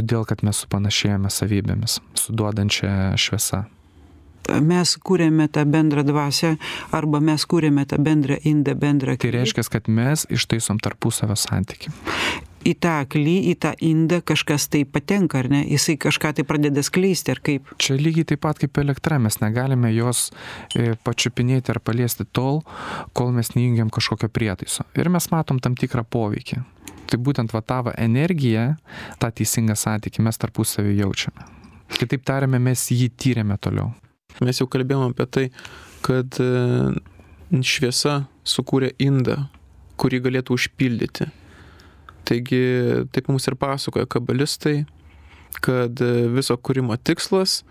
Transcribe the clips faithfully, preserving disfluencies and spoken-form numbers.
Todėl, kad mes supanašėjame savybėmis, suduodančia šviesa. Mes kūrėme tą bendrą dvasią, arba mes kūrėme tą bendrą indą, bendrą Tai aklį. reiškia, kad mes ištaisom tarpusavio santykį. Į tą aklį, į tą indą kažkas tai patenka, ar ne? Jisai kažką tai pradeda skleisti, ar kaip? Čia lygiai taip pat kaip elektra, mes negalime jos e, pačiupinėti ar paliesti tol, kol mes neįjungiam kažkokio prietaiso. Ir mes matom tam tikrą poveikį. Tai būtent va tavo energiją, tą teisingą santykį mes tarpusavį jaučiame. Kitaip tariame, mes jį tyrėme toliau. Mes jau kalbėjome apie tai, kad šviesa sukūrė indą, kurį galėtų užpildyti. Taigi, taip mums ir pasakoja kabalistai, kad viso kūrimo tikslas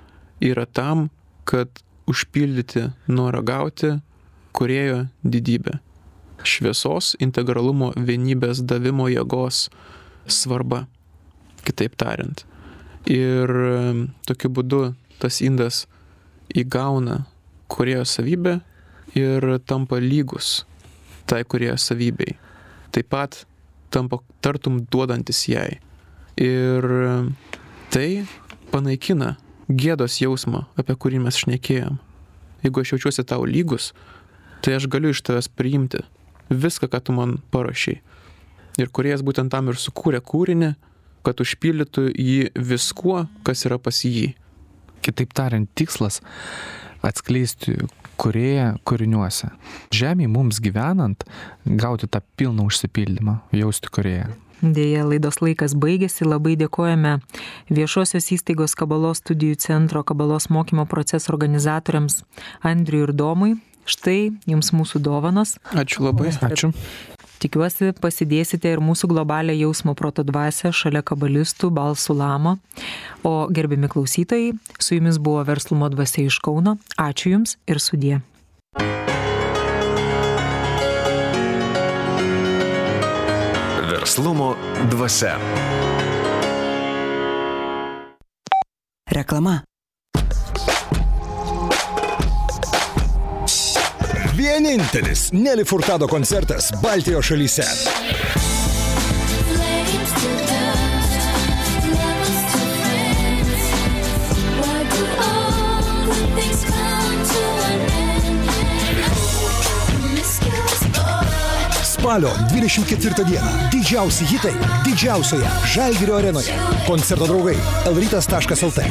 yra tam, kad užpildyti norą gauti kūrėjo didybę. Šviesos, integralumo, vienybės, davimo jėgos svarba, kitaip tariant. Ir tokiu būdu tas indas įgauna kūrėjo savybę ir tampa lygus tai kūrėjo savybei. Taip pat tampa tartum duodantis jai. Ir tai panaikina gėdos jausmą, apie kurį mes šnekėjom. Jeigu aš jaučiuosi tau lygus, tai aš galiu iš tavęs priimti viską, ką tu man parašei. Ir kūrėjas būtent tam ir sukūrė kūrinį, kad užpildytų jį viskuo, kas yra pas jį. Kitaip tariant, tikslas atskleisti kūrėją kūriniuose. Žemėje mums gyvenant, gauti tą pilną užsipildymą, jausti kūrėją. Deja, laidos laikas baigėsi. Labai dėkojame Viešosios įstaigos Kabalos studijų centro Kabalos mokymo proceso organizatoriams Andriui ir Domui. Štai jums mūsų dovanos. Ačiū labai. Ačiū. Tikiuosi, pasidėsite ir mūsų globalią jausmo proto dvasią šalia kabalistų Balsų Lamo. O gerbiami klausytojai, su jumis buvo Verslumo dvasia iš Kauno. Ačiū jums ir sudie. Verslumo dvasia. Reklama. Vienintelis Nelly Furtado koncertas Baltijos šalyse. Spalio dvidešimt ketvirtą dieną didžiausi hitai didžiausioje Žalgirio arenoje. Koncerto draugai elrytas taškas lt.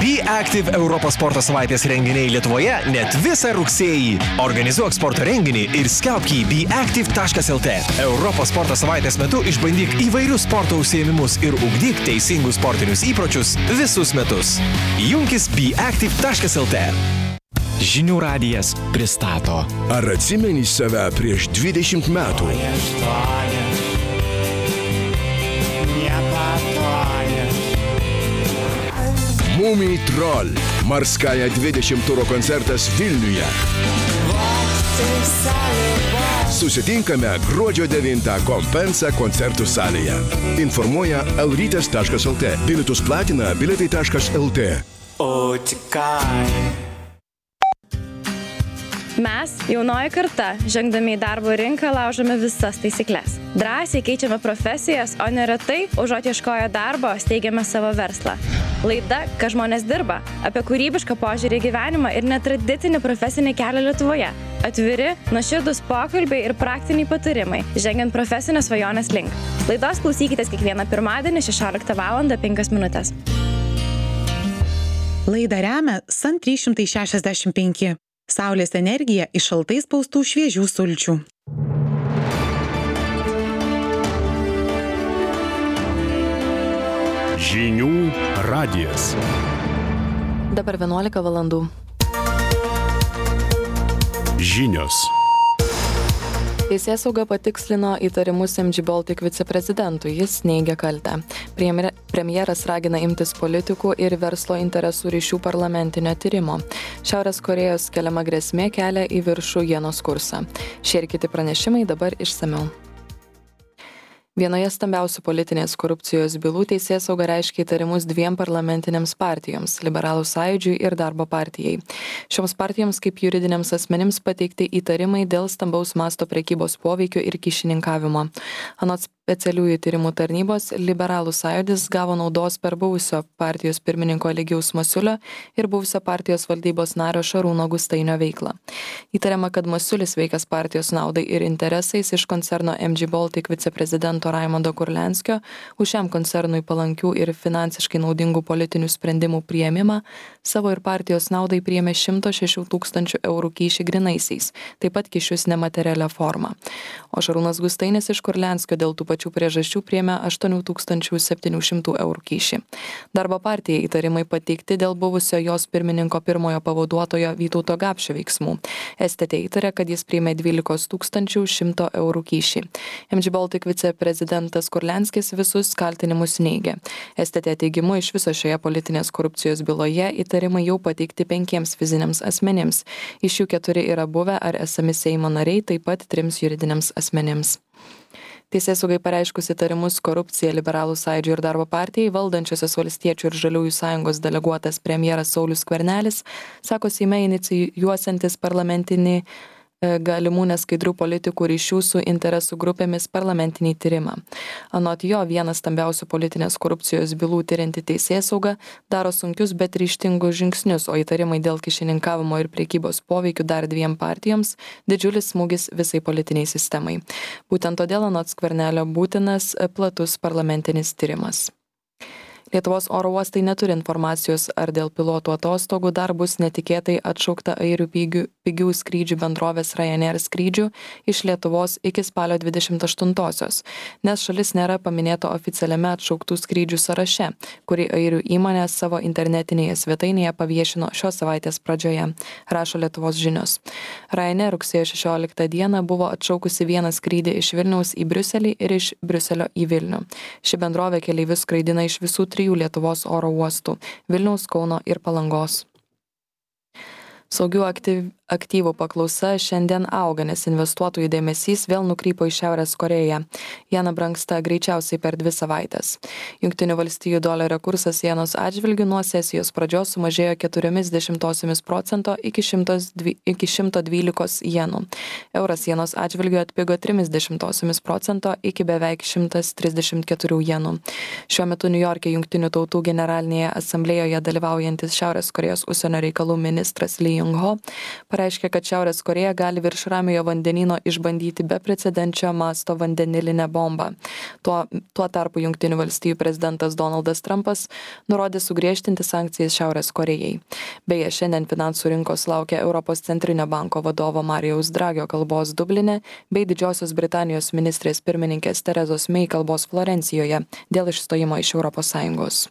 Be Active Europos sporto savaitės renginiai Lietuvoje net visą rugsėjį. Organizuok sporto renginį ir skelbk į be active taškas lt. Europos sporto savaitės metu išbandyk įvairius sporto užsiėmimus ir ugdyk teisingus sportinius įpročius visus metus. Junkis be active taškas lt. Žinių radijas pristato. Ar atsimeni save prieš dvidešimt metų? Mumiai Troll. Marskaja dvidešimt turo koncertas Vilniuje. Susitinkame gruodžio devintą Kompensa koncertų salėje. Informuoja elrytas taškas lt. Bilietus platina bilietai taškas lt. Mes, jaunoji karta, žengdami į darbo rinką, laužome visas taisyklės. Drąsiai keičiame profesijas, o neretai, užuot ieškoję darbo, steigiame savo verslą. Laida, ką žmonės dirba, apie kūrybišką požiūrį į gyvenimą ir netradicinį profesinį kelią Lietuvoje. Atviri, nuoširdūs pokalbiai ir praktiniai patarimai, žengiant profesinės svajonės link. Laidos klausykitės kiekvieną pirmadienį šešioliktą valandą penkios minutės. Laidą remia San trys šimtai šešiasdešimt penki. Saulės energija iš šaltai spaustų šviežių sulčių. Žinių radijas. Dabar vienuolika valandų. Žinios. Teisėsauga patikslino įtarimus em džy Baltic viceprezidentui, jis neigia kaltę. Premjeras ragina imtis politikų ir verslo interesų ryšių parlamentinio tyrimo. Šiaurės Korėjos keliama grėsmė kelia į viršų ienos kursą. Šie ir kiti pranešimai dabar išsamiau. Vienoje stambiausių politinės korupcijos bylų teisėsauga reiškia įtarimus dviem parlamentinėms partijoms – Liberalų sąjūdžiui ir Darbo partijai. Šioms partijoms kaip juridiniams asmenims pateikti įtarimai dėl stambaus masto prekybos poveikio ir kyšininkavimo. Anot specialiųjų tyrimų tarnybos Liberalų sąjūdis gavo naudos per buvusio partijos pirmininko Eligijaus Masiulio ir buvusio partijos valdybos nario Šarūno Gustainio veiklą. Įtariama, kad Masiulis veikas partijos naudai ir interesais iš koncerno M G Baltic viceprezidento Raimondo Kurlianskio už šiam koncernui palankių ir finansiškai naudingų politinių sprendimų priėmimą savo ir partijos naudai priėmė šimto šešių tūkstančių eurų kyšį grynaisiais, taip pat kyšius nematerialia forma. O Šarūnas Gustainis iš Kurlianskio dėl tų pačių priežasčių priėmė aštuonių tūkstančių septynių šimtų eurų kyšį. Darbo partijai įtarimai pateikti dėl buvusio jos pirmininko pirmojo pavaduotojo Vytauto Gapšio veiksmų. S T T įtarė, kad jis priėmė dvylikos tūkstančių šimto eurų kyšį. M G Baltic viceprezidentas Kurlianskis visus kaltinimus neigė. S T T teigimu iš viso šioje politinės korupcijos byloje įtarimai jau pateikti penkiems fiziniams asmenims. Iš jų keturi yra buvę ar esami Seimo nariai, taip pat trims juridiniams asmenims. Teisėsaugai pareiškus įtarimus korupcija Liberalų sąjūdžio ir darbo partijai, valdančiosios Valstiečių ir Žaliųjų sąjungos deleguotas premjeras Saulius Skvernelis sako Seime inicijuosiantis parlamentinį galimų neskaidrių politikų ryšių su interesų grupėmis parlamentinį tyrimą. Anot jo, vienas stambiausių politinės korupcijos bylų tyrinti teisėsauga daro sunkius, bet ryžtingus žingsnius, o įtarimai dėl kyšininkavimo ir prekybos poveikių dar dviem partijoms didžiulis smūgis visai politiniai sistemai. Būtent todėl anot Skvernelio būtinas platus parlamentinis tyrimas. Lietuvos oro uostai neturi informacijos, ar dėl pilotų atostogų dar bus netikėtai atšaukta airių pigių, pigių skrydžių bendrovės Ryanair skrydžių iš Lietuvos iki spalio dvidešimt aštuntosios, nes šalis nėra paminėta oficialiame atšauktų skrydžių sąraše, kurį airių įmonė savo internetinėje svetainėje paviešino šios savaitės pradžioje, rašo Lietuvos žinios. Ryanair rugsėjo šešioliktą dieną buvo atšaukusi vieną skrydį iš Vilniaus į Briuselį ir iš Briuselio į Vilnių. Ši bendrovė keleivius skraidina iš visų trijų Lietuvos oro uostų – Vilniaus, Kauno ir Palangos. Saugių aktyv, aktyvų paklausa šiandien auga, nes investuotojų dėmesys vėl nukrypo į Šiaurės Koreją. Jena brangsta greičiausiai per dvi savaitės. Jungtinių valstijų dolerio kursas jenos atžvilgiu nuo sesijos pradžios sumažėjo keturiomis dešimtosiomis procento iki šimto dvylikos jenų. Euras jenos atžvilgiu atpigo trimis dešimtosiomis procento iki beveik šimtas trisdešimt keturių jenų. Šiuo metu Niujorke Jungtinių tautų generalinėje asamblėjoje dalyvaujantis Šiaurės Korėjos užsienio reikalų ministras Lee Jung-ho pareiškė, kad Šiaurės Korėja gali virš Ramiojo vandenyno išbandyti beprecedenčio masto vandenilinę bombą. Tuo, tuo tarpu Jungtinių valstijų prezidentas Donaldas Trumpas nurodė sugriežtinti sankcijas Šiaurės Korėjai. Beje, šiandien finansų rinkos laukia Europos centrinio banko vadovo Marijaus Dragio kalbos Dubline bei Didžiosios Britanijos ministrės pirmininkės Terezos Mei kalbos Florencijoje dėl išstojimo iš Europos Sąjungos.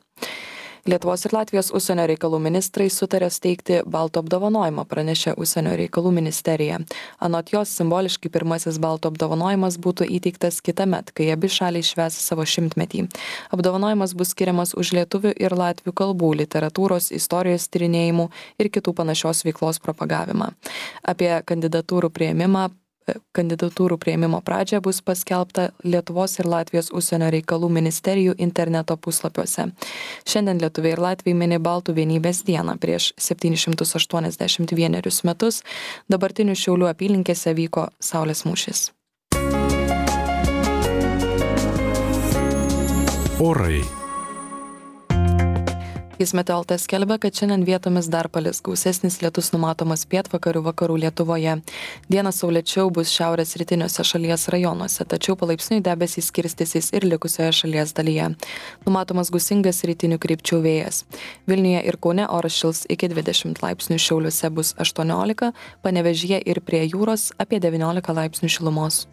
Lietuvos ir Latvijos užsienio reikalų ministrai sutarė steigti Baltų apdovanojimą, pranešė užsienio reikalų ministerija. Anot jos, simboliškai pirmasis Baltų apdovanojimas būtų įteiktas kitąmet, kai abi šaliai švęs savo šimtmetį. Apdovanojimas bus skiriamas už lietuvių ir latvių kalbų, literatūros, istorijos tyrinėjimų ir kitų panašios veiklos propagavimą. Apie kandidatūrų priėmimą Kandidatūrų prieimimo pradžia bus paskelbta Lietuvos ir Latvijos užsienio reikalų ministerijų interneto puslapiuose. Šiandien lietuviai ir latviai mini Baltų vienybės dieną. Prieš septynis šimtus aštuoniasdešimt vienerius metus dabartinių Šiaulių apylinkėse vyko Saulės mūšis. Orai. Kismetė L T skelbia, kad šiandien vietomis dar palis, gausesnis lietus numatomas pietvakarių vakarų Lietuvoje. Dieną saulėčiau bus šiaurės rytiniuose šalies rajonuose, tačiau palaipsniui debesys skirstysis ir likusioje šalies dalyje. Numatomas gūsingas rytinių krypčių vėjas. Vilniuje ir Kaune oras šils iki dvidešimt laipsnių, Šiauliuose bus aštuoniolika, Panevėžyje ir prie jūros apie devyniolika laipsnių šilumos.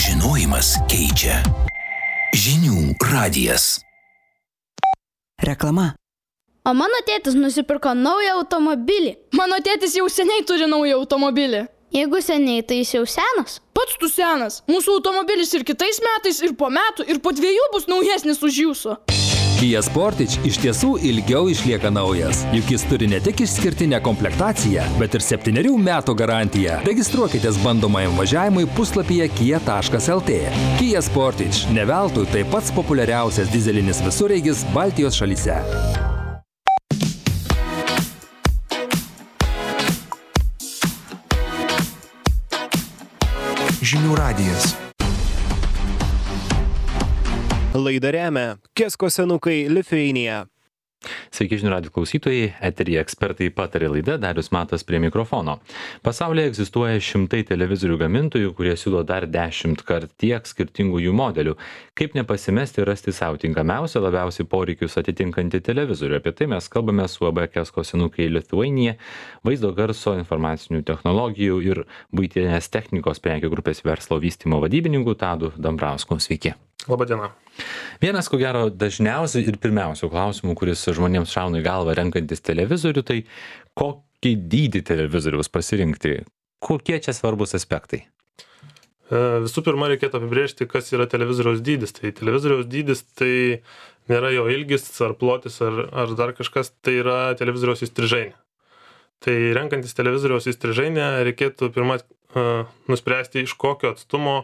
Žinojimas keičia. Žinių radijas. Reklama. O mano tėtis nusipirko naują automobilį. Mano tėtis jau seniai turi naują automobilį. Jeigu seniai, tai jis jau senas. Pats tu senas. Mūsų automobilis ir kitais metais, ir po metų, ir po dviejų bus naujesnis už jūsų. Kia Sportage iš tiesų ilgiau išlieka naujas, juk jis turi ne tik išskirtinę komplektaciją, bet ir septynerių metų garantiją. Registruokitės bandomajam važiavimui puslapyje kia taškas el tė. Kia Sportage ne veltui tai pats populiariausias dizelinis visureigis Baltijos šalyse. Žinių radijas. Laidą remia Kesko senukai Lithuania. Sveiki žinių radijo klausytojai, eteryje ekspertai patarė laida, Darius Matas prie mikrofono. Pasaulyje egzistuoja šimtai televizorių gamintojų, kurie siūlo dar dešimt kart tiek skirtingų jų modelių. Kaip nepasimesti ir rasti savo tinkamiausią, labiausiai poreikius atitinkantį televizorių. Apie tai mes kalbame su A B Kesko senukai Lithuania, vaizdo garso, informacinių technologijų ir buitinės technikos prekių grupės verslo vystymo vadybininku Tadu Dambrausku. Sveiki. Labadiena. Vienas, ko gero, dažniausiai ir pirmiausių klausimų, kuris žmonėms šauna į galvą renkantis televizorių, tai kokį dydį televizoriaus pasirinkti? Kokie čia svarbus aspektai? Visų pirma, reikėtų apibrėžti, kas yra televizoriaus dydis. Tai televizoriaus dydis tai nėra jo ilgis ar plotis ar, ar dar kažkas, tai yra televizoriaus įstrižainė. Tai renkantis televizoriaus įstrižainę reikėtų pirmą uh, nuspręsti, iš kokio atstumo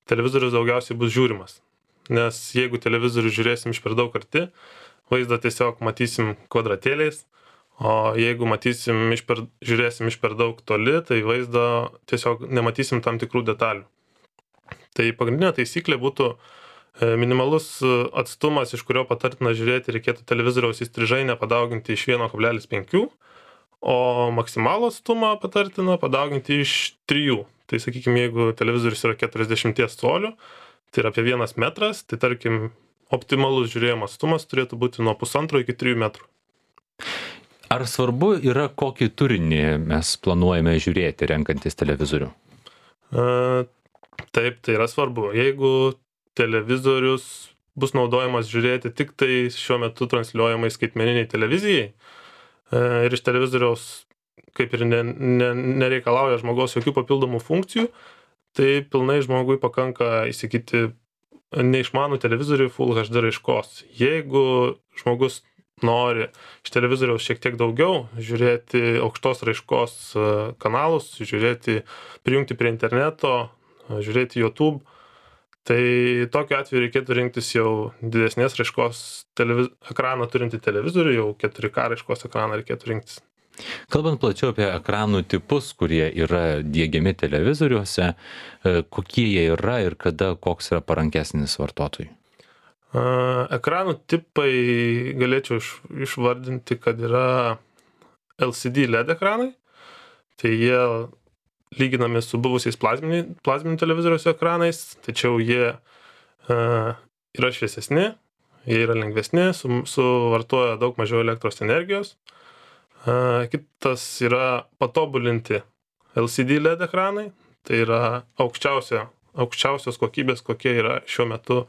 televizorius daugiausiai bus žiūrimas. Nes jeigu televizorių žiūrėsim iš per daug arti, vaizdą tiesiog matysim kvadratėliais, o jeigu matysim iš per, žiūrėsim iš per daug toli, tai vaizdo tiesiog nematysim tam tikrų detalių. Tai pagrindinė taisyklė būtų minimalus atstumas, iš kurio patartina žiūrėti, reikėtų televizoriaus įstrižainę padauginti iš vieno kablelis penki, o maksimalų atstumą patartina padauginti iš trijų. Tai sakykime, jeigu televizorius yra keturiasdešimt colių, tai yra apie vienas metras, tai tarkim optimalus žiūrėjimo atstumas turėtų būti nuo pusantro iki trijų metrų. Ar svarbu yra, kokį turinį mes planuojame žiūrėti renkantis televizorių? E, taip, tai yra svarbu. Jeigu televizorius bus naudojamas žiūrėti tik tai šiuo metu transliuojamai skaitmeniniai televizijai e, ir iš televizoriaus kaip ir ne, ne, nereikalauja žmogaus jokių papildomų funkcijų, tai pilnai žmogui pakanka įsigyti neišmanų televizorių Full H D raiškos. Jeigu žmogus nori iš televizoriaus šiek tiek daugiau, žiūrėti aukštos raiškos kanalus, žiūrėti, prijungti prie interneto, žiūrėti YouTube, tai tokiu atveju reikėtų rinktis jau didesnės raiškos televiz... ekraną turintį televizorių, jau keturi K raiškos ekraną reikėtų rinktis. Kalbant plačiau apie ekranų tipus, kurie yra diegiami televizoriuose, kokie jie yra ir kada koks yra parankesnis vartotojui? Ekranų tipai galėčiau išvardinti, kad yra L C D L E D ekranai, tai jie lyginami su buvusiais plazminių televizoriaus ekranais, tačiau jie yra šviesesni, jie yra lengvesni, suvartoja daug mažiau elektros energijos. Kitas yra patobulinti L C D L E D ekranai, tai yra aukščiausio, aukščiausios kokybės, kokie yra šiuo metu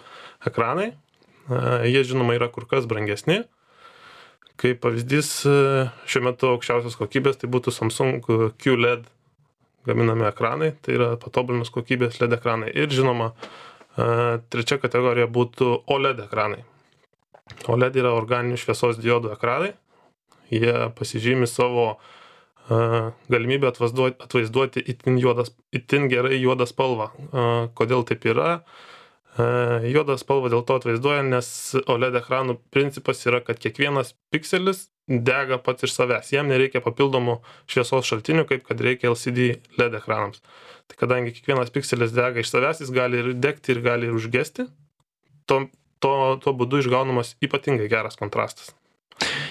ekranai. Jie žinoma yra kur kas brangesni. Kaip pavyzdys, šiuo metu aukščiausios kokybės tai būtų Samsung Q L E D gaminami ekranai, tai yra patobulinus kokybės L E D ekranai. Ir žinoma, trečia kategorija būtų O L E D ekranai. O L E D yra organinių šviesos diodų ekranai. Jie pasižymi savo uh, galimybę atvaizduoti, atvaizduoti itin, juodas, itin gerai juodą spalvą. Uh, kodėl taip yra? Uh, juodą spalvą dėl to atvaizduoja, nes O L E D ekranų principas yra, kad kiekvienas pikselis dega pats iš savęs. Jam nereikia papildomų šviesos šaltinių, kaip kad reikia L C D L E D ekranams. Tai kadangi kiekvienas pikselis dega iš savęs, jis gali ir degti ir gali ir užgesti, to, to, to būdu išgaunamas ypatingai geras kontrastas.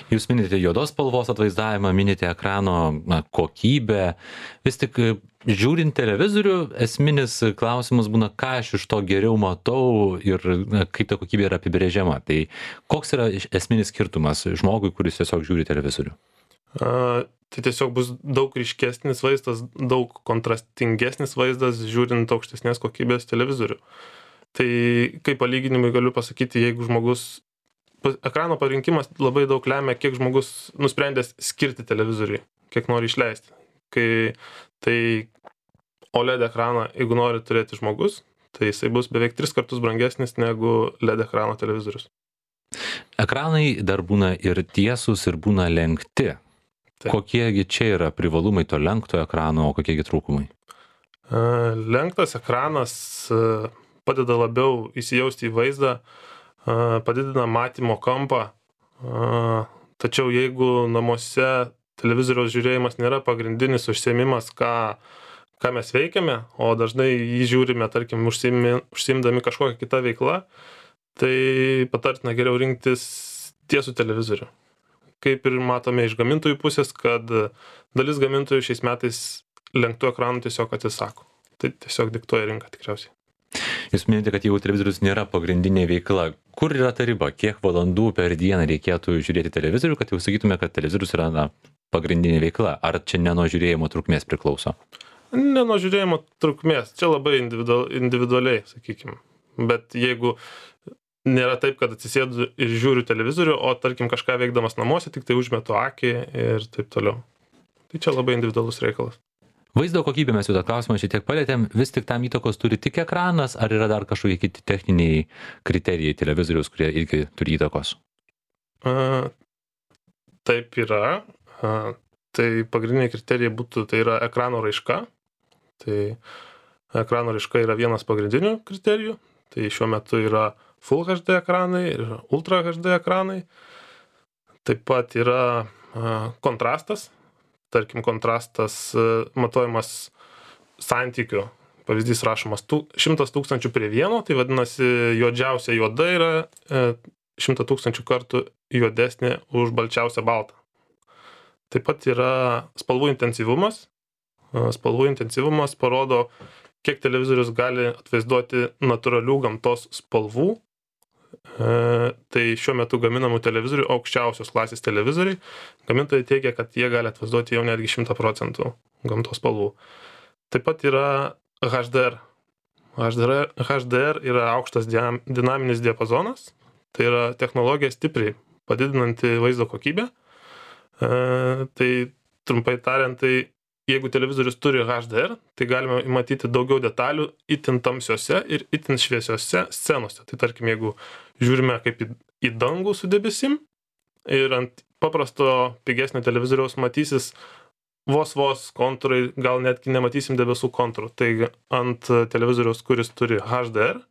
Jūs minite juodos spalvos atvaizdavimą, minite ekrano na, kokybę. Vis tik žiūrint televizorių, esminis klausimas būna, ką aš iš to geriau matau ir na, kaip ta kokybė yra apibrėžiama. Tai koks yra esminis skirtumas žmogui, kuris tiesiog žiūri televizorių? A, tai tiesiog bus daug ryškesnis vaizdas, daug kontrastingesnis vaizdas žiūrint aukštesnės kokybės televizorių. Tai kaip palyginimui galiu pasakyti, jeigu žmogus ekrano parinkimas labai daug lemia, kiek žmogus nusprendęs skirti televizoriui, kiek nori išleisti. Kai tai O L E D ekraną, jeigu nori turėti žmogus, tai jisai bus beveik tris kartus brangesnis negu L E D ekrano televizorius. Ekranai dar būna ir tiesūs, ir būna lenkti. Taip. Kokiegi čia yra privalumai to lenkto ekrano, o kokiegi trūkumai? Lenktas ekranas padeda labiau įsijausti į vaizdą, padidina matymo kampą, tačiau jeigu namuose televizoriaus žiūrėjimas nėra pagrindinis užsiėmimas, ką, ką mes veikiame, o dažnai jį žiūrime, tarkim, užsiimi, užsiimdami kažkokią kitą veiklą, tai patartina geriau rinktis tiesų televizorių. Kaip ir matome iš gamintojų pusės, kad dalis gamintojų šiais metais lenktų ekranų tiesiog atsisako. Tai tiesiog diktuoja rinka tikriausiai. Jūs minėjote, kad jeigu televizorius nėra pagrindinė veikla, kur yra ta riba? Kiek valandų per dieną reikėtų žiūrėti televizorių, kad jau sakytume, kad televizorius yra na, pagrindinė veikla? Ar čia ne nuo žiūrėjimo trukmės priklauso? Ne nuo žiūrėjimo trukmės. Čia labai individual, individualiai, sakykime. Bet jeigu nėra taip, kad atsisėdu ir žiūriu televizorių, o tarkim kažką veikdamas namuose, tik tai užmetu akį ir taip toliau. Tai čia labai individualus reikalas. Vaizdo kokybė mes jau tą klausimą šiek tiek palėtėm, vis tik tam įtakos turi tik ekranas, ar yra dar kažkokie kiti techniniai kriterijai televizoriaus, kurie irgi turi įtakos? A, taip yra. A, tai pagrindiniai kriterijai būtų, tai yra ekrano raiška. Tai ekrano raiška yra vienas pagrindinių kriterijų. Tai šiuo metu yra Full H D ekranai ir Ultra H D ekranai. Taip pat yra a, kontrastas. Tarkim, kontrastas matuojamas santykiu. Pavyzdys rašomas šimtas tūkstančių prie vieno, tai vadinasi, juodžiausia juoda yra šimtas tūkstančių kartų juodesnė už balčiausią baltą. Taip pat yra spalvų intensyvumas. Spalvų intensyvumas parodo, kiek televizorius gali atvaizduoti natūralių gamtos spalvų. Tai šiuo metu gaminamų televizorių, aukščiausios klasės televizoriai, gamintojai teigia, kad jie gali atvaizduoti jau netgi šimtą procentų gamtos spalvų. Taip pat yra H D R. H D R, H D R yra aukštas dinaminis diapazonas, tai yra technologija stipriai padidinanti vaizdo kokybę. Tai trumpai tariant, tai jeigu televizorius turi H D R, tai galime matyti daugiau detalių itin tamsiose ir itin šviesiose scenose. Tai tarkim, jeigu žiūrime kaip į, į dangų su debesim ir ant paprasto pigesnio televizoriaus matysis vos vos kontūrai, gal netgi nematysim debesų kontūrų. Tai ant televizoriaus, kuris turi H D R,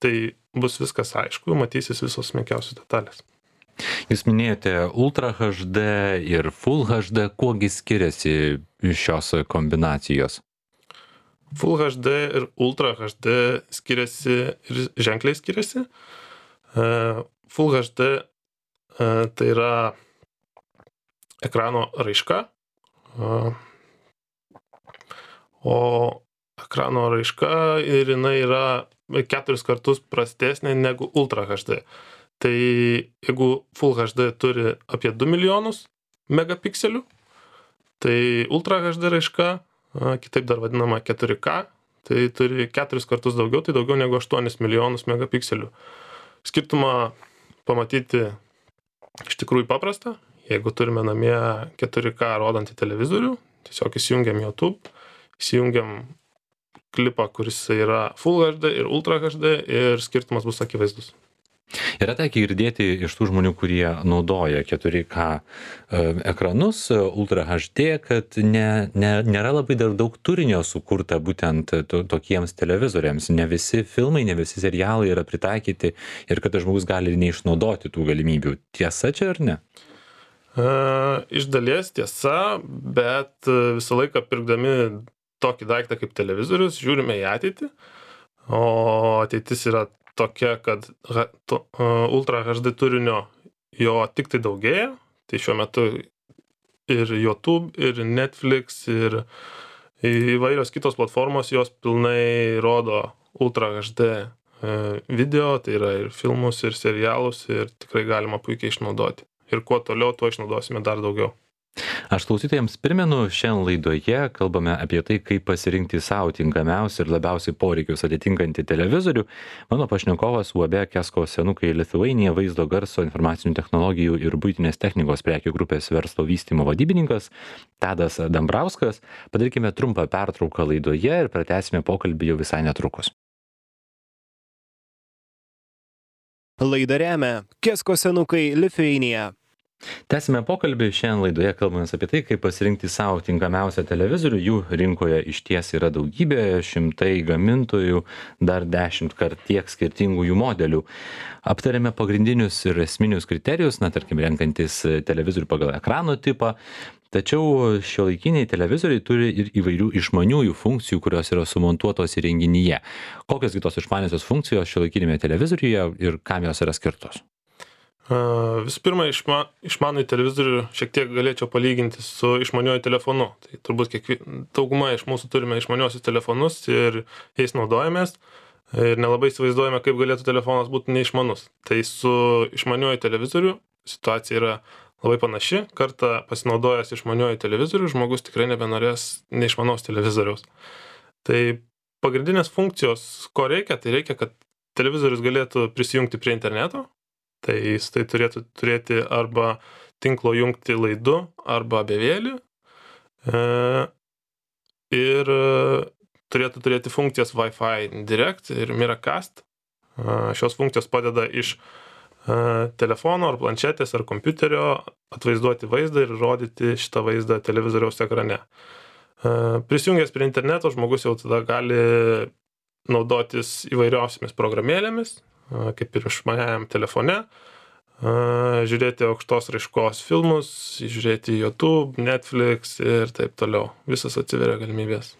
tai bus viskas aišku, matysis visos smulkiausios detalės. Jūs minėjote Ultra H D ir Full H D, kuogi skiriasi šios kombinacijos? Full H D ir Ultra H D skiriasi ir ženkliai skiriasi. Full H D tai yra ekrano raiška, o ekrano raiška ir jinai yra keturis kartus prastesnė negu Ultra H D. Tai jeigu Full H D turi apie du milijonus megapikselių, tai Ultra H D raiška, kitaip dar vadinama keturi K, tai turi keturis kartus daugiau, tai daugiau negu aštuonis milijonus megapikselių. Skirtumą pamatyti iš tikrųjų paprasta. Jeigu turime namie keturi K rodantį televizorių, tiesiog įsijungiam YouTube, įsijungiam klipą, kuris yra Full H D ir Ultra H D ir skirtumas bus akivaizdus. Yra tekę girdėti iš tų žmonių, kurie naudoja keturi K ekranus, Ultra H D, kad ne, ne, nėra labai dar daug turinio sukurta būtent to, tokiems televizoriams. Ne visi filmai, ne visi serialai yra pritaikyti ir kad žmogus gali neišnaudoti tų galimybių. Tiesa čia ar ne? Iš dalies tiesa, bet visą laiką pirkdami tokį daiktą kaip televizorius, žiūrime į ateitį, o ateitis yra tokia, kad Ultra H D turinio jo tik tai daugėja, tai šiuo metu ir YouTube, ir Netflix, ir įvairios kitos platformos jos pilnai rodo Ultra H D video, tai yra ir filmus, ir serialus, ir tikrai galima puikiai išnaudoti. Ir kuo toliau, tuo išnaudosime dar daugiau. Aš klausytojams primenu, šiandien laidoje kalbame apie tai, kaip pasirinkti savo tinkamiausią ir labiausiai poreikius atitinkantį televizorių. Mano pašnekovas U A B Kesko senukai Lithuania vaizdo garso informacinių technologijų ir buitinės technikos prekių grupės verslo vystymo vadybininkas Tadas Dambrauskas. Padarykime trumpą pertrauką laidoje ir pratęsime pokalbį jau visai netrukus. Laidą remia Kesko senukai Lithuania. Tęsime pokalbį, šiandien laidoje kalbame apie tai, kaip pasirinkti savo tinkamiausią televizorių. Jų rinkoje išties yra daugybė, šimtai gamintojų, dar dešimt kart tiek skirtingų jų modelių. Aptarėme pagrindinius ir esminius kriterijus, na, tarkim, renkantis televizorių pagal ekrano tipą. Tačiau šiuolaikiniai televizoriai turi ir įvairių išmaniųjų funkcijų, kurios yra sumontuotos įrenginyje. Kokios kitos išmaniosios funkcijos šiuolaikinėme televizoriuje ir kam jos yra skirtos? Visų pirma, išma, išmanųjį televizorių šiek tiek galėčiau palyginti su išmaniuoju telefonu. Tai turbūt kiekvi, dauguma iš mūsų turime išmaniuosius telefonus ir jais naudojamės ir nelabai įsivaizduojame, kaip galėtų telefonas būti neišmanus. Tai su išmaniuoju televizoriu situacija yra labai panaši. Kartą pasinaudojęs išmaniuoju televizoriu, žmogus tikrai nebenorės neišmanaus televizoriaus. Tai pagrindinės funkcijos, ko reikia, tai reikia, kad televizorius galėtų prisijungti prie interneto. Tai jis tai turėtų turėti arba tinklo jungti laidu, arba bevėlį. E, ir turėtų turėti funkcijas Wi-Fi Direct ir Miracast. E, šios funkcijos padeda iš e, telefono ar planšetės ar kompiuterio atvaizduoti vaizdą ir rodyti šitą vaizdą televizoriaus ekrane. E, prisijungęs prie interneto, žmogus jau tada gali naudotis įvairiausiamis programėlėmis, kaip ir išmaniajam telefone, žiūrėti aukštos raiškos filmus, žiūrėti YouTube, Netflix ir taip toliau. Visas atsiveria galimybės.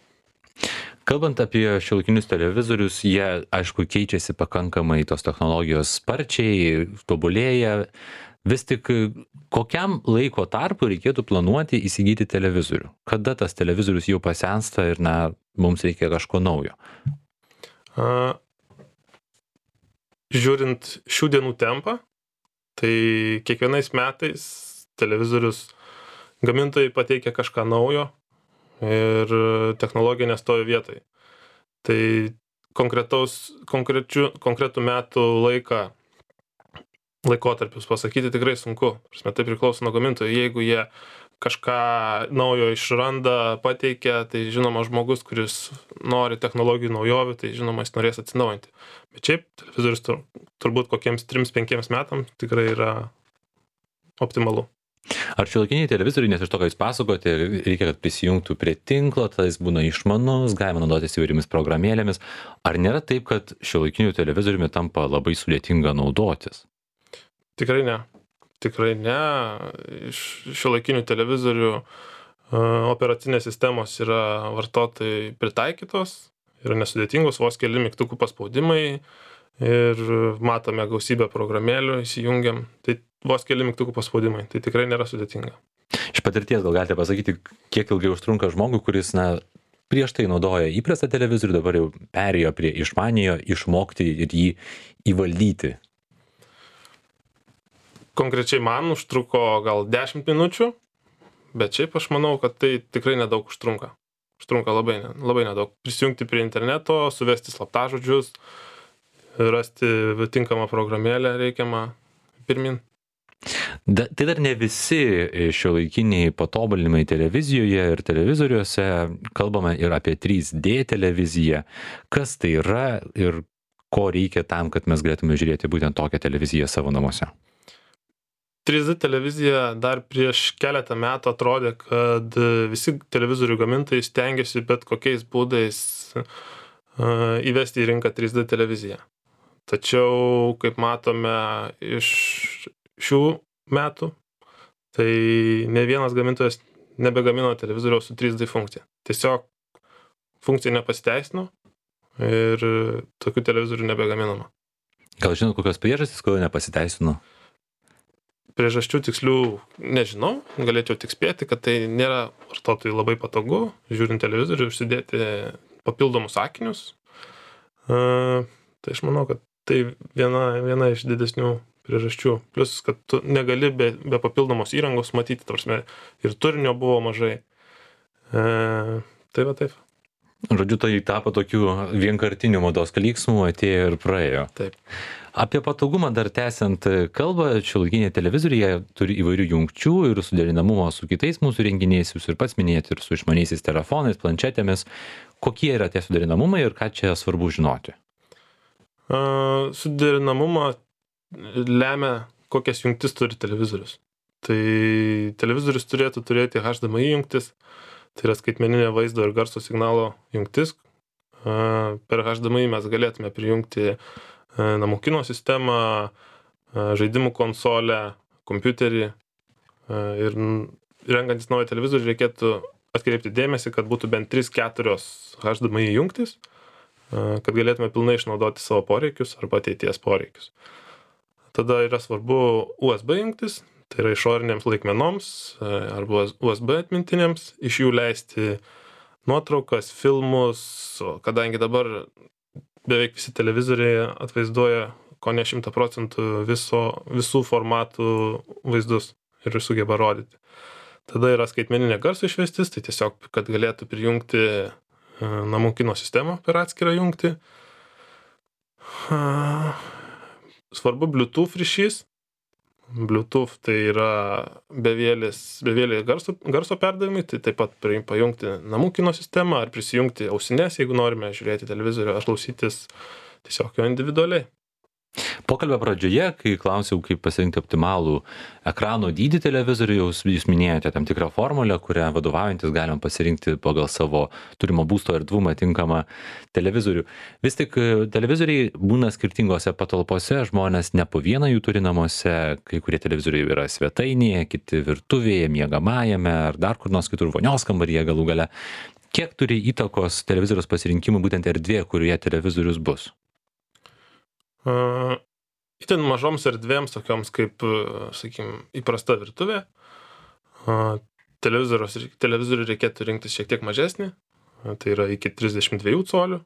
Kalbant apie šiuolaikinius televizorius, jie, aišku, keičiasi pakankamai, tos technologijos sparčiai, tobulėja. Vis tik kokiam laiko tarpu reikėtų planuoti įsigyti televizorių? Kada tas televizorius jau pasensta ir, na, mums reikia kažko naujo? A, Žiūrint šių dienų tempą, tai kiekvienais metais televizorius gamintojai pateikia kažką naujo ir technologija nestovi vietoj. Tai konkretų metų laiką, laikotarpius pasakyti tikrai sunku. Tai priklauso nuo gamintojų. Jeigu jie kažką naujo išranda, pateikia, tai žinoma žmogus, kuris nori technologijų naujovių, tai žinoma jis norės atsinaujinti. Bet šiaip televizorius tur, turbūt kokiems trims penkiems metams tikrai yra optimalu. Ar šiuolaikiniai televizoriai, nes iš to, ką jūs pasakote, reikia, kad prisijungtų prie tinklo, tai jis būna išmanus, galima naudotis įvairiomis programėlėmis. Ar nėra taip, kad šiuolaikinių televizoriumi tampa labai sudėtinga naudotis? Tikrai ne. Tikrai ne. Iš šiuolaikinių televizorių operacinės sistemos yra vartotojai pritaikytos, yra nesudėtingos, vos keli mygtukų paspaudimai ir matome gausybę programėlių, įsijungiam. Tai vos keli mygtukų paspaudimai, tai tikrai nėra sudėtinga. Iš patirties gal galite pasakyti, kiek ilgai užtrunka žmogui, kuris, na, prieš tai naudoja įprastą televizorių, dabar jau perėjo prie išmaniojo, išmokti ir jį įvaldyti? Konkrečiai man užtruko gal dešimt minučių, bet šiaip aš manau, kad tai tikrai nedaug užtrunka. Užtrunka labai, labai nedaug. Prisijungti prie interneto, suvesti slaptažodžius, rasti tinkamą programėlę reikiamą pirmin. Da, tai dar ne visi šiuolaikiniai patobulinimai televizijoje ir televizoriuose. Kalbame ir apie trys D televiziją. Kas tai yra ir ko reikia tam, kad mes galėtume žiūrėti būtent tokią televiziją savo namuose? trys D televizija dar prieš keletą metų atrodė, kad visi televizorių gamintojai stengiasi bet kokiais būdais įvesti į rinką trys D televiziją. Tačiau, kaip matome iš šių metų, tai ne vienas gamintojas nebegamino televizoriaus su trys D funkcija. Tiesiog funkcija nepasiteisino ir tokių televizorių nebegaminama. Gal žinot, kokios priežastys, kodėl nepasiteisino? Priežasčių tikslių nežinau, galėčiau tik spėti, kad tai nėra vartotojui labai patogu, žiūrint televizorių, užsidėti papildomus akinius. Uh, tai aš manau, kad tai viena, viena iš didesnių priežasčių. Plius, kad tu negali be, be papildomos įrangos matyti, tarsi ir turinio buvo mažai. Uh, tai va taip. Žodžiu, tai tapo tokių vienkartinių mados klyksmų, atėjo ir praėjo. Taip. Apie patogumą dar tęsiant kalbą, šiuolaikiniai televizoriai turi įvairių jungčių ir suderinamumo su kitais mūsų renginiais, jūs ir pats minėjote, ir su išmaniaisiais telefonais, planšetėmis. Kokie yra tie suderinamumai ir ką čia svarbu žinoti? Uh, suderinamumą lemia, kokias jungtis turi televizorius. tai televizorius turėtų turėti H D M I jungtis, tai yra skaitmeninė vaizdo ir garso signalo jungtis. Per H D M I mes galėtume prijungti namų kino sistemą, žaidimų konsolę, kompiuterį ir renkantis naują televizorių reikėtų atkreipti dėmesį, kad būtų bent trys keturios H D M I jungtis, kad galėtume pilnai išnaudoti savo poreikius arba ateities poreikius. Tada yra svarbu U S B jungtis, tai yra išorinėms laikmenoms arba U S B atmintinėms, iš jų leisti nuotraukas, filmus, kadangi dabar beveik visi televizoriai atvaizduoja ko ne šimtą procentų viso, visų formatų vaizdus ir sugeba rodyti. Tada yra skaitmeninė garso išvestis, tai tiesiog, kad galėtų prijungti namų kino sistemą per atskirą jungtį. Svarbu Bluetooth ryšys. Bluetooth tai yra bevėlis, bevėlė garso, garso perdavimai, tai taip pat pajungti namų kino sistemą ar prisijungti ausines, jeigu norime žiūrėti televizorių ar klausytis tiesiog jo individualiai. Pokalbio pradžioje, kai klausiau, kaip pasirinkti optimalų ekrano dydį televizoriaus, jūs minėjote tam tikrą formulę, kurią vadovaujantis galima pasirinkti pagal savo turimo būsto erdvumą tinkamą televizorių. Vis tik televizoriai būna skirtingose patalpose, žmonės ne po vieną jų turi namuose, kai kurie televizoriai yra svetainėje, kiti virtuvėje, miegamajame ar dar kur nors kitur vonios kambaryje galų gale. Kiek turi įtakos televizoriaus pasirinkimui būtent erdvė, kurioje televizorius bus? Uh, itin mažoms erdvėms, tokioms kaip, sakykim, įprasta virtuvė, uh, televizorių reikėtų rinktis šiek tiek mažesnį, uh, tai yra iki trisdešimt dviejų colių,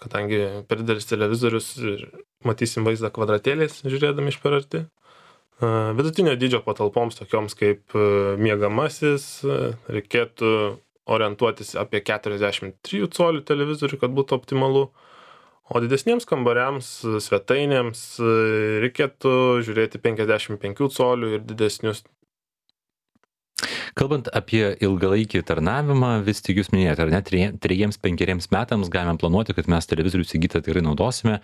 kadangi per didelis televizorius ir matysim vaizdą kvadratėliais, žiūrėdami iš per arti. Uh, vidutinio dydžio patalpoms, tokioms kaip uh, miegamasis, uh, reikėtų orientuotis apie keturiasdešimt trijų colių televizorių, kad būtų optimalu. O didesniems kambariams, svetainėms reikėtų žiūrėti penkiasdešimt penkių colių ir didesnius. Kalbant apie ilgalaikį tarnavimą, vis tik jūs minėjote, ar ne, trejiems, penkeriems metams galime planuoti, kad mes televizorių įsigytą tikrai naudosime.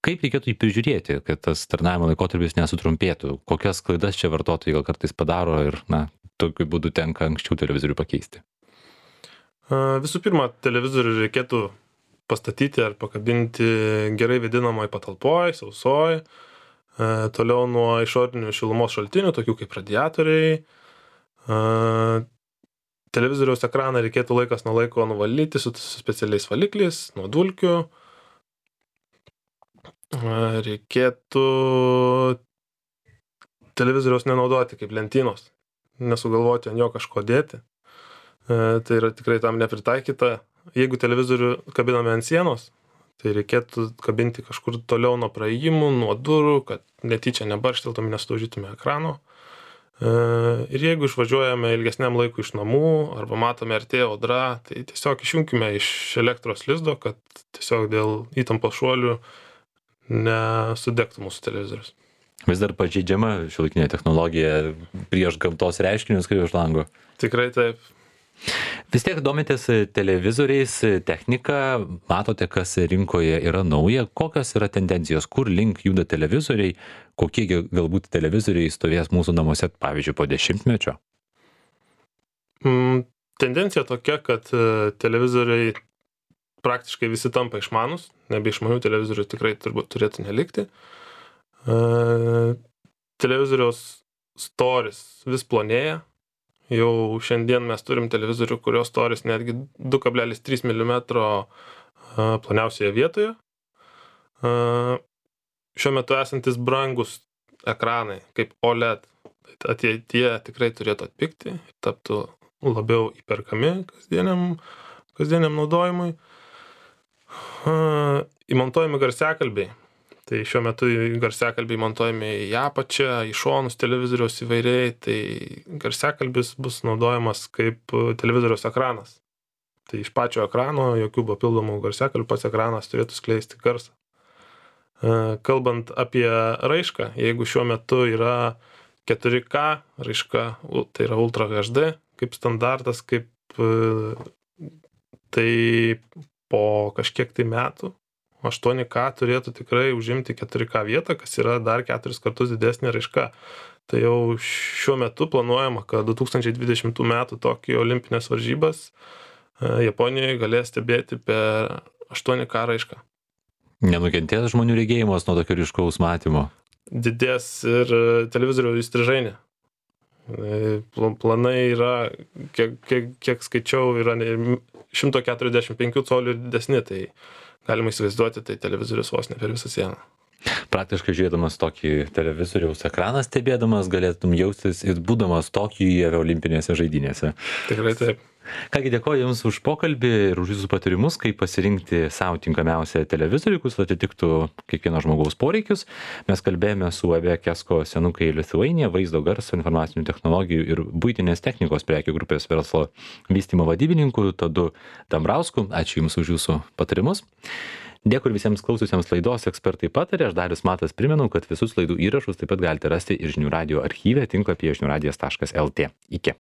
Kaip reikėtų jį prižiūrėti, kad tas tarnavimo laikotarpis nesutrumpėtų? Kokias klaidas čia vartotojai gal kartais padaro ir, na, tokiu būdu tenka anksčiau televizorių pakeisti? Visų pirma, televizorių reikėtų pastatyti ar pakabinti gerai vėdinamoj patalpoj, sausoj, e, toliau nuo išorinių šilumos šaltinių, tokių kaip radiatoriai. E, televizoriaus ekraną reikėtų laikas nuo laiko nuvalyti su, su specialiais valikliais, nuo dulkių. E, reikėtų televizoriaus nenaudoti kaip lentynos, nesugalvoti ant jo kažko dėti. E, tai yra tikrai tam nepritaikyta. Jeigu televizorių kabiname ant sienos, tai reikėtų kabinti kažkur toliau nuo praėjimų, nuo durų, kad netyčia nebaršteltume, nesudaužytume ekrano. Ir jeigu išvažiuojame ilgesniam laikui iš namų arba matome artėja audra, tai tiesiog išjunkime iš elektros lizdo, kad tiesiog dėl įtampos šuolių nesudegtų mūsų televizorius. Vis dar pažeidžiama šiuolaikinė technologija prieš gamtos reiškinius, kaip už lango? Tikrai taip. Vis tiek domitės televizoriais, technika, matote, kas rinkoje yra nauja, kokios yra tendencijos, kur link juda televizoriai, kokie galbūt televizoriai stovės mūsų namuose, pavyzdžiui, po dešimtmečio? Mm, tendencija tokia, kad televizoriai praktiškai visi tampa išmanus, nebe išmanių televizorių tikrai turbūt turėtų nelikti. E, televizoriaus storis vis plonėja. Jau šiandien mes turim televizorių, kurios storis netgi du kablelis trys milimetro ploniausioje vietoje. Šiuo metu esantis brangus ekranai, kaip O L E D, ateityje tikrai turėtų atpigti ir taptų labiau įperkami kasdieniam, kasdieniam naudojimui. Įmontuojami garsiakalbiai. Tai šiuo metu garsiakalbiai montuojami į apačią, į šonus televizoriaus įvairiai, tai garsiakalbis bus naudojamas kaip televizoriaus ekranas. Tai iš pačio ekrano, jokių papildomų garsiakalbių, pats ekranas turėtų skleisti garsą. Kalbant apie raišką, jeigu šiuo metu yra keturi K raiška, tai yra Ultra H D kaip standartas, kaip tai po kažkiek tai metų aštuoni K turėtų tikrai užimti keturi K vietą, kas yra dar keturis kartus didesnė raiška. tai jau šiuo metu planuojama, kad du tūkstančiai dvidešimtų metų Tokijo olimpinės varžybas Japonijoje galės stebėti per aštuoni K raišką. Nenukentės žmonių regėjimas nuo tokio ryškaus matymo? Didės ir televizorių įstrižainė. Planai yra, kiek, kiek, kiek skaičiau, yra šimtas keturiasdešimt penkių colių ir didesni, tai galima įsivaizduoti, tai televizorius vos ne per visą sieną. Praktiškai žiūrėdamas tokį televizoriaus ekraną stebėdamas, galėtum jaustis ir būdamas Tokijuje olimpinėse žaidynėse. Tikrai taip. Kągi, dėkoju Jums už pokalbį ir už Jūsų patarimus, kaip pasirinkti savo tinkamiausią televizorių, kuris atitiktų kiekvieno žmogaus poreikius. Mes kalbėjome su U A B Kesko Senukai Lithuania, vaizdo garso, informacinių technologijų ir buitinės technikos prekių grupės verslo vystymo vadybininku Tadu Dambrausku. Ačiū Jums už Jūsų patarimus. Dėkui visiems klaususiems laidos Ekspertai patarė. Aš Darius Matas primenu, kad visus laidų įrašus taip pat galite rasti ir Žinių radijo archyve tinklapyje žinių radijas taškas el tė. Iki.